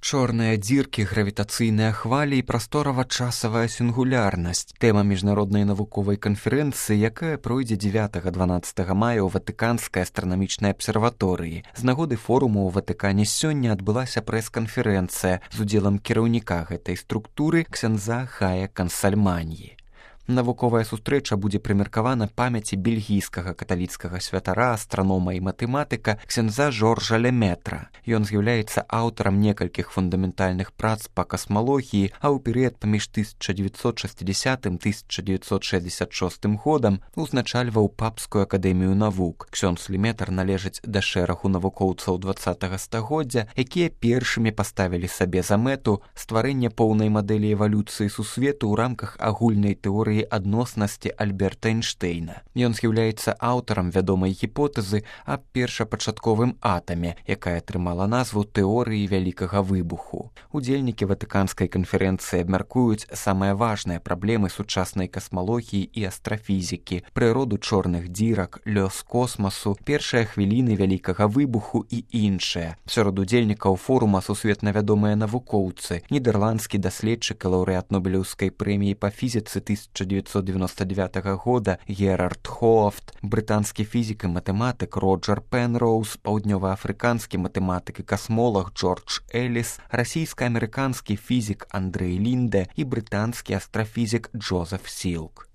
Чорныя дзіркі, гравітацыйныя хвалі і прасторава-часавая сінгулярнасць. Тэма міжнароднай навуковай канферэнцыі, якая пройдзе 9-12 мая ў Ватыканскай астранамічнай абсерваторыі. З нагоды форуму ў Ватыкане сёння адбылася прэс-канферэнцыя з удзелам кіраўніка гэтай структуры ксяндза Хая Кансальманьі. Навуковая сустрэча будзе прымеркавана памяці бельгійскага каталіцкага святара, астранома і матэматыка ксяндза Жоржа Леметра. Ён з'яўляецца аўтарам некалькіх фундаментальных прац па касмалогіі, а ў перыяд паміж 1960-1966 годам узначальваў Папскую акадэмію навук. Ксёндз Леметр належыць да шэрагу навукоўцаў 20-го стагоддзя, якія першымі паставілі сабе за мэту стварэнне поўнай мадэлі эвалюцыі сусвету ў рамках агульнай тэорыі адноснасці Альберта Эйнштэйна. Ён з'яўляецца аўтарам вядомай гіпотэзы аб першапачатковым атаме, якая атрымала назву тэорыі вялікага выбуху. Удзельнікі Ватыканскай канферэнцыі абмяркуюць самыя важныя праблемы сучаснай касмалогіі і астрафізікі, прыроду чорных дзірак, лёс космасу, першыя хвіліны вялікага выбуху і іншыя. Сярод удзельнікаў форума сусветна вядомыя навукоўцы, нідэрландскі даследчык і лаўрэат Нобелеўскай прэміі па фізіцы 1999 года Герард Хоафт, брытанскі фізік і матэматык Роджер Пенроуз, паўднёваафрыканскі матэматык і касмолог Джордж Эліс, расійска-амерыканскі фізік Андрэй Лінде і брытанскі астрафізік Джозеф Сілк.